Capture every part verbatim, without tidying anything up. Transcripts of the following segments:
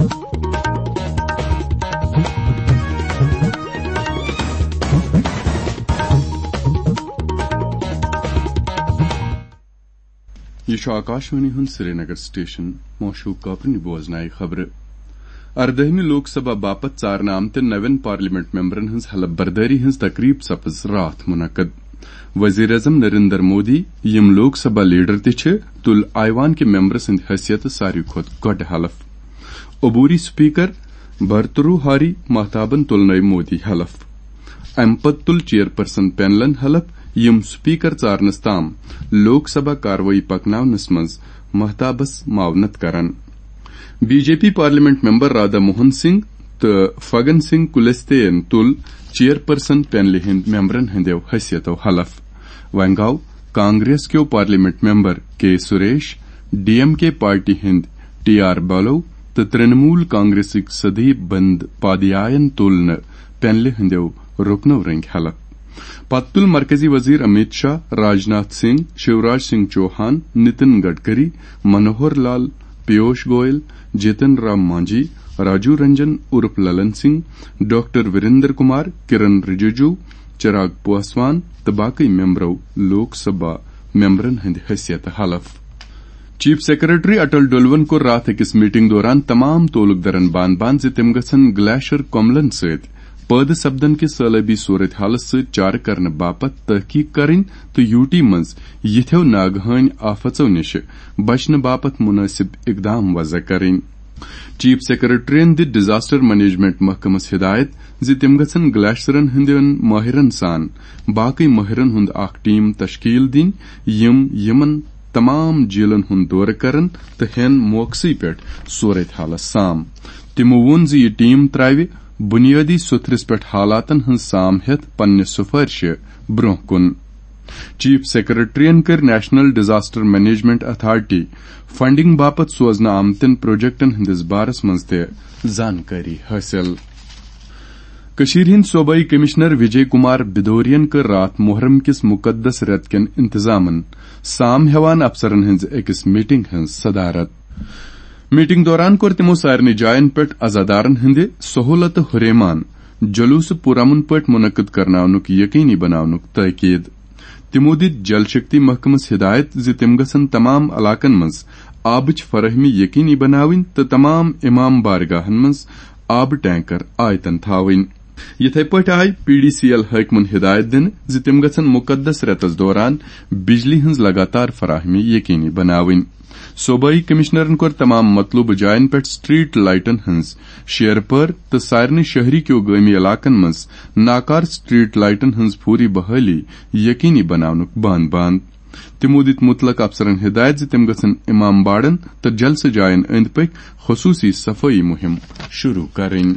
یہِ چھُ آکاشوانی ہُنٛد سرینگر سٹیشن۔ معشوق کاپرنہِ بوزنایہِ خبرٕ۔ اردٲہمہِ لوک سبھا باپتھ ژارنہٕ آمتٮ۪ن نوٮ۪ن پارلیمنٹ ممبرن ہٕنٛز حلف بردٲری ہٕنٛز تقریب سپٕز راتھ منعقد۔ وزیر اعظم نریندر مودی، یِم لوک سبھا لیڈر تہِ چھِ، تُل ایوان کہِ ممبر سٕنٛدِ حیثیتہٕ ساروی کھۄتہٕ گۄڈٕ حلف۔ عبوری سپیکر بھرتروہاری مہتابن تُلنٲوۍ مودی حلف۔ امہِ پتہٕ تُل چیئرپرسن پینلن حلف، یِم سپیکر ژارنس تام لوک سبھا کاروٲیی پکناونس منٛز مہتابس معاونت کران۔ B J P parliament member Radha Mohan Singh تہٕ فگن سنگھ کلستین تُل چیئرپرسن پینلہِ ہٕنٛدۍ ممبرن ہٕنٛدیو حیثیتو حلف۔ وۄنۍ گوٚو کانگریس کیو پارلیمنٹ ممبر کے سریش، ڈی ایم کے پارٹی ہٕنٛدۍ ٹی آر بالو تہٕ ترنمول کانگریسٕکۍ سدیپ بند پادیاین تُل نہٕ پینلہِ ہٕنٛدیو رُکنو رٔنگۍ حلف۔ پتہٕ تُل مرکزی وزیر امیت شاہ، راجناتھ سنگھ، شیوراج سنگھ چوہان، نتن گڈکری، منوہر لال، پیوش گوئل، جتن رام مانجھی، راجو رنجن عرف للن سنگھ، ڈاکٹر وریندر کمار، کرن رجیجو، چراغ پاسوان تہٕ باقی ممبرو لوک سبھا ممبرن ہٕنٛدِ حیثیتہٕ حلف۔ چیف سیکرٹری اٹل ڈولون کوٚر راتھ أکِس میٹنگ دوران تمام تعلق درن بان بان زِ تِم گژھن گلیشر کۄملن سۭتۍ پٲدٕ سپدن کہِ سٲلٲبی صورت حالس سۭتۍ چارٕ کرنہٕ باپتھ تحقیق کرٕنۍ تہٕ یوٗ ٹی منٛز یِتھیو ناگہٲنۍ آفژو نِشہِ بچنہٕ باپتھ مُنٲسِب اقدام وضع کرٕنۍ۔ چیف سیکرٹریَن دِژ ڈیزاسٹر مینجمنٹ محکمس ہدایت زِ تِم گژھن گلیشرن ہٕنٛدٮ۪ن مٲہرن سان باقی مٲہرن ہُنٛد اکھ ٹیم تشکیل دِنۍ، یِم یِمن تمام جیلن ہُنٛد دورٕ کرن تہٕ ہٮ۪ن موقعسٕے پٮ۪ٹھ صورت حالس سام۔ تِمو ووٚن زِ یہِ ٹیم تراوِ بنیٲدی سوٚتھرِس پٮ۪ٹھ حالاتن ہٕنٛز سام ہٮ۪تھ پننہِ سفٲرشہِ برونٛہہ کُن۔ چیف سیکرٹریَن کٔرۍ national disaster management authority funding باپتھ سوزنہٕ آمتٮ۪ن پروجیکٹن ہٕنٛدِس بارس منٛز تہِ زانکٲری حٲصِل۔ کٔشیٖرِ ہٕنٛدۍ صوبٲئی کمشنر وجے کمار بدوریَن کٔر راتھ محرم کِس مقدس رٮ۪تہٕ کٮ۪ن انتظامن سام ہٮ۪وان افسرن ہٕنٛزِ أکِس میٹنگ ہٕنٛز صدارت۔ میٹنگ دوران کوٚر تِمو سارنٕے جاین پٮ۪ٹھ عزادارن ہٕنٛدِ سہولتہٕ ہُریمان جلوسہٕ پُرامن پٲٹھۍ منعقد کرناونُک یقینی بناونُک تٲکید۔ تِمو دِتۍ جل شکتی محکمس ہدایت زِ تِم گژھن تمام علاقن منٛز آبٕچ فراہمی یقینی بناوٕنۍ تہٕ تمام امام بارگاہن منٛز آبہٕ ٹینکر آیتن تھاوٕنۍ۔ یِتھے پٲٹھۍ آیہِ پی ڈی سی ایل حٲکمن ہدایت دِنہٕ زِ تِم گژھن مقدس رٮ۪تس دوران بجلی ہٕنٛز لگاتار فراہمی یقینی بناوٕنۍ۔ صوبٲئی کمشنرن کوٚر تمام مطلوبہٕ جاین پٮ۪ٹھ سٹریٹ لائٹن ہٕنٛز شیرپٲر تہٕ سارنٕے شہری کیو گٲمی علاقن منٛز ناکار سٹریٹ لائٹن ہٕنٛز فوری بحالی یقینی بناونُک بان بان۔ تِمو دِتۍ مُتلق افسرن ہدایت زِ تِم گژھن امام باڑن تہٕ جلسہٕ جاین أنٛدۍ پٔکۍ خصوٗصی صفٲیی مُہِم شروٗع کرٕنۍ۔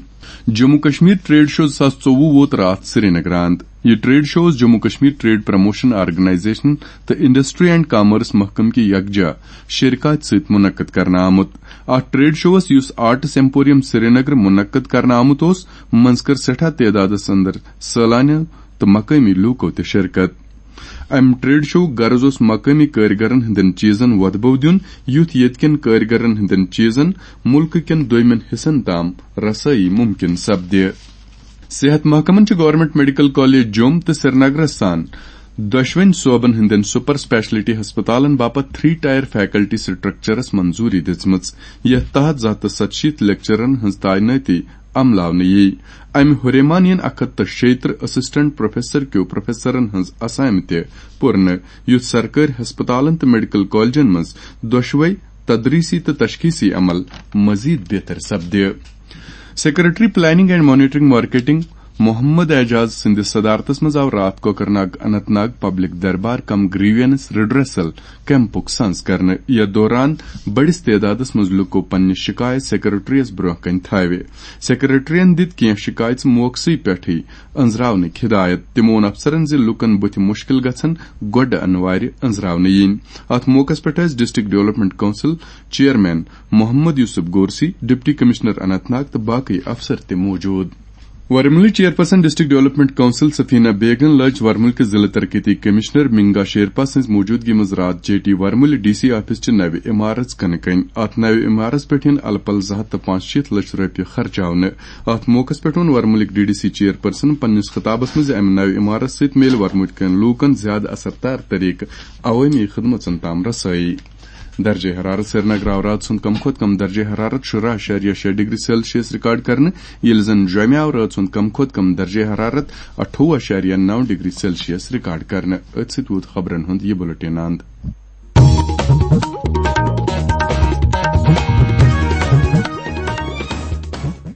جموں کشمیر ٹریڈ شو زٕ ساس ژوٚوُہ ووت راتھ سرینگر آمُت۔ یہِ ٹریڈ شو اوس Jammu Kashmir trade promotion organization تہٕ انڈسٹری اینڈ کامرس محکمہٕ کہِ یکجا شرکت سۭتۍ منعقد کرنہٕ آمُت۔ اتھ ٹریڈ شوس، یُس آرٹس ایمپوریم سرینگر منعقد کرنہٕ آمُت اوس، منٛز کٔر سٮ۪ٹھاہ تعدادس اندر سٲلانیو تہٕ مقٲمی لوٗکو تہِ شرکت۔ امہِ ٹریڈ شوُک غرض اوس مقٲمی کٲرۍگرن ہٕنٛدٮ۪ن چیٖزن وۄدبو دیُن، یُتھ ییٚتہِ کٮ۪ن کٲرۍگرن ہٕنٛدٮ۪ن چیٖزن مُلکہٕ کٮ۪ن دوٚیمٮ۪ن حصن تام رسٲیی مُمکِن سپدِ۔ صحت محکمن چھِ گورنمنٹ میڈیکل کالج جوٚم تہٕ سرینگرس سان دۄشوٕنۍ صوبن ہٕنٛدٮ۪ن سپر اسپیشلٹی ہسپتالن باپتھ تھری ٹائر فیکلٹی سٹرکچرس منظوری دِژمٕژ، یتھ تحت زٕ ہتھ تہٕ ستشیٖتھ لیکچررن ہٕنٛز تعینٲتی عملاونہٕ یی۔ امہِ ہُریمان یِن اکھ ہتھ تہٕ شیٚیہِ ترٕہ اسسٹنٹ پروفیسر کیو پروفیسرن ہٕنٛز اسامہِ تہِ پُرنہٕ، یُتھ سرکٲرۍ ہسپتالن تہٕ میڈیکل کالجن منٛز دۄشوے تدریسی تہٕ تشخیصی عمل مزید بہتر سپدِ۔ Secretary planning and monitoring marketing Mohammad Ejaz سٕنٛدِس صدارتس منٛز آو راتھ Kokernag Anantnag public darbar cum grievance redressal کیمپُک سنز کرنہٕ۔ یتھ دوران بٔڑِس تعدادس منٛز لوٗکو پننہِ شکایت سیکرٹریس برونٛہہ کنہِ تھاوِ۔ سیکرٹریَن دِتۍ کینٛہہ شکایژٕ موقعسٕے پٮ۪ٹھٕے أنٛزراونٕکۍ ہدایت۔ تِمو ووٚن افسرن زِ لوٗکن بُتھِ مُشکل گژھن گۄڈٕ انوارِ أنٛزراونہٕ یِنۍ۔ اتھ موقعس پٮ۪ٹھ ٲسۍ district development council chairman Mohammad Yousuf Gorsi, deputy commissioner Anantnag تہٕ باقٕے افسر تہِ موجود۔ ورمُلٕچ chairperson district development council Safeena بیگن لٲج ورمُل کِس ضلع ترقیتی کمشنر منگا شیرپا سٕنٛز موجودگی منٛز راتھ جے ٹی ورمُلہِ ڈی سی آفس چہِ نوِ عمارژ کنہٕ کنۍ۔ اتھ نوِ عمارژ پٮ۪ٹھ یِن الہٕ پلہٕ زٕ ہتھ تہٕ پانٛژشیٖتھ لچھ رۄپیہِ خرچاونہٕ۔ اتھ موقعس پٮ۪ٹھ ووٚن ورمُلٕکۍ ڈی ڈی سی چیئرپرسن پننِس خطابس منٛز زِ امہِ نوِ عمارژ سۭتۍ میلہِ ورمُلۍ کٮ۪ن لوٗکن زیادٕ اثر دار طریقہٕ عوٲمی خدمژن تام رسٲیی۔ درجہ حرارت۔ سرینگر آو راتہٕ سُنٛد کم کھۄتہٕ کم درجہ حرارت شُراہ اعشاریہ شےٚ ڈگری سیلسیس ریکارڈ کرنہٕ، ییٚلہِ زن جوٚمہِ آو راتہٕ سُنٛد کم کھۄتہٕ کم درجہ حرارت اَٹھووُہ اعشاریہ نَو ڈگری سیلسیس ریکارڈ کرنہٕ۔ أتھۍ سۭتۍ ووت خبرن ہُنٛد یہِ بُلٹن اند۔